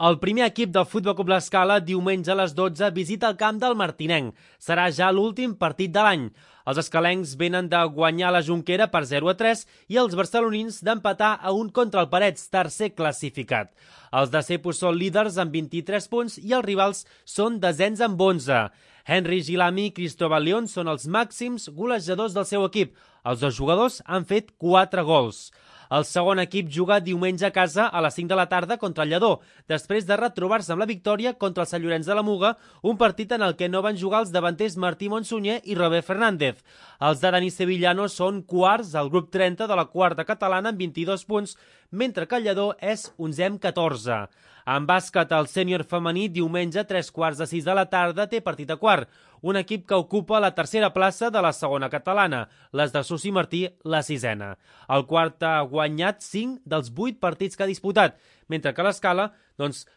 El primer equip del Futbol Club L'Escala diumenge a les 12 visita el camp del Martinenc. Serà ja l'últim partit de l'any. Els escalencs venen de guanyar la Jonquera per 0-3 i els barcelonins d'empatar a 1 contra el Parets, tercer classificat. Els de Cepos són líders amb 23 punts i els rivals són desens amb 11. Henry Gilami i Cristóbal León són els màxims golejadors del seu equip. Els dos jugadors han fet 4 gols. El segon equip juga diumenge a casa a les 5 de la tarda contra el Lledó, després de retrobar-se amb la victòria contra el Sant Llorenç de la Muga, un partit en el que no van jugar els davanters Martí Monsunyer i Robert Fernández. Els de Dani Sevillano són quarts al grup 30 de la quarta catalana amb 22 punts, mentre que el Lledó és 11è amb 14. En bàsquet, el sènior femení diumenge a 3:45 de la tarda té partit a quart, un equip que ocupa la tercera plaça de la segona catalana, les de Susi Martí la sisena. El quart ha guanyat 5 dels 8 partits que ha disputat, mentre que l'Escala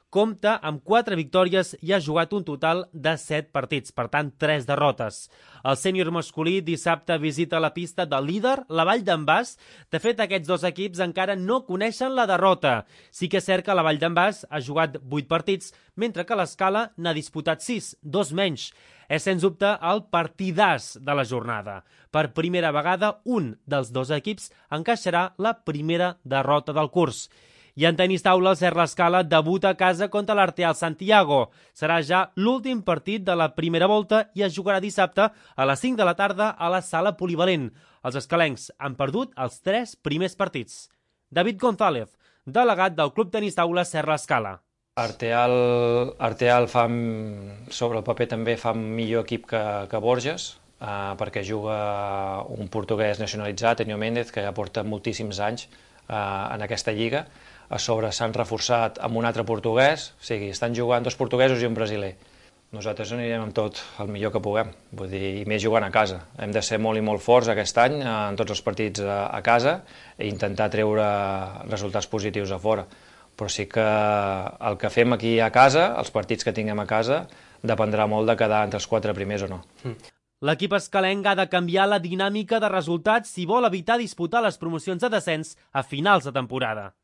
compta amb 4 victòries i ha jugat un total de 7 partits, per tant 3 derrotes. El sènior masculí dissabte visita la pista del líder, la Vall d'en Bas. De fet, aquests dos equips encara no coneixen la derrota. Sí que és cert que la Vall d'en Bas ha jugat 8 partits, mentre que l'Escala n'ha disputat 6, 2 menys. És sens dubte el partidàs de la jornada. Per primera vegada, un dels dos equips encaixarà la primera derrota del curs. I en tenis taula, el Serra Escala debuta a casa contra l'Arteal Santiago. Serà ja l'últim partit de la primera volta i es jugarà dissabte a les 5 de la tarda a la sala polivalent. Els escalencs han perdut els 3 primers partits. David González, delegat del Club Tenis Taula Serra Escala. Arteal fa, sobre el paper també fa millor equip que Borges, perquè juga un portuguès nacionalitzat, Enio Méndez, que ja porta moltíssims anys en aquesta lliga. A sobre s'han reforçat amb un altre portuguès, o sigui, estan jugant 2 portuguesos i un brasiler. Nosaltres anirem amb tot el millor que puguem, vull dir, i més jugant a casa. Hem de ser molt i molt forts aquest any en tots els partits a casa i intentar treure resultats positius a fora. Però sí que el que fem aquí a casa, els partits que tinguem a casa, dependrà molt de quedar entre els 4 primers o no. L'equip escalenc ha de canviar la dinàmica de resultats si vol evitar disputar les promocions de descens a finals de temporada.